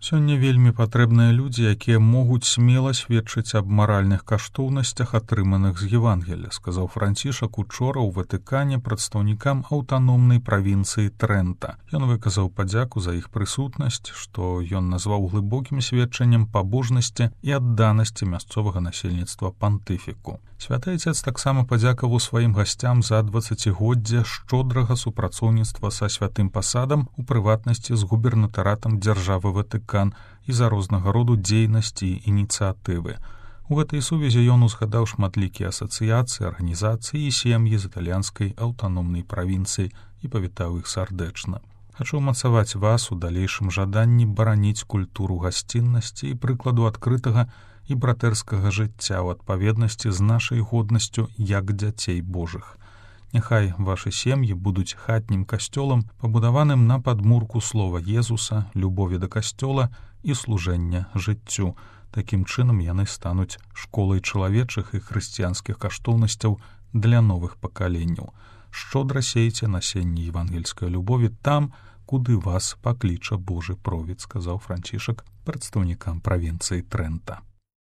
Сёння вельмі патрэбныя людзі, якія могуць смела сведчыць аб маральных каштоўнасцях, атрыманых з Евангелля, сказаў Францішак учора ў Ватыкане прадстаўнікам аўтаномнай правінцыі Трэнта. Ён выказаў падзяку за іх прысутнасць, што ён назваў глыбокім сведчаннем пабожнасці і адданасці мясцовага насельніцтва пантыфіку. Святы Айцец таксама падзякаваў сваім гасцям за 20годдзе шчодрага супрацоўніцтва са святым пасадам, у прыватнасці з губернатаратам дзяржавы Ватыкан і за рознага роду дзейнасці і ініцыятывы. У гэтай сувязі ён узгадаў шматлікія асацыяцыі, арганізацыі і сем'і з італьянскай аўтаномнай правінцыі і павітаў іх сардэчна. Хачу ўмацаваць вас у далейшым жаданні бараніць культуру гасціннасці і прыкладу адкрытага і братэрскага жыцця ў адпаведнасці з нашай годнасцю як дзяцей Божых. Няхай вашы сем'і будуць хатнім касцёлам, пабудаваным на падмурку слова Езуса, любові да касцёла і служэння жыццю. Такім чынам яны стануць школай чалавечых і хрысціянскіх каштоўнасцяў для новых пакаленняў. Шчодра сейце насенне евангельскай любові там, куды вас пакліча Божы провід, сказаў Францішак прадстаўнікам правінцыі Трэнта.